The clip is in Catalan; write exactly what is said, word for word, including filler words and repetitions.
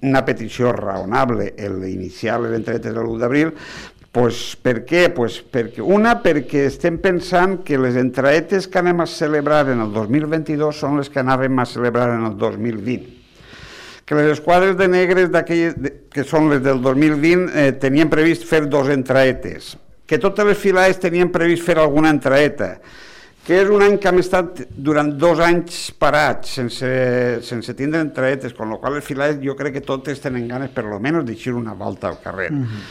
una petició raonable l'iniciar les entraetes de l'u d'abril. Pues, per què? Pues perquè, una, perquè estem pensant que les entraetes que anem a celebrar en el dos mil vint-i-dos són les que anàvem a celebrar en el dos mil vint. Que les esquadres de negres que són les del dos mil vint eh, tenien previst fer dos entraetes, que totes les filades tenien previst fer alguna entraeta, que és un any que hem estat durant dos anys parats sense, sense tindre entraetes, amb la qual les filades jo crec que totes tenen ganes per lo menos d'eixir una volta al carrer. Uh-huh.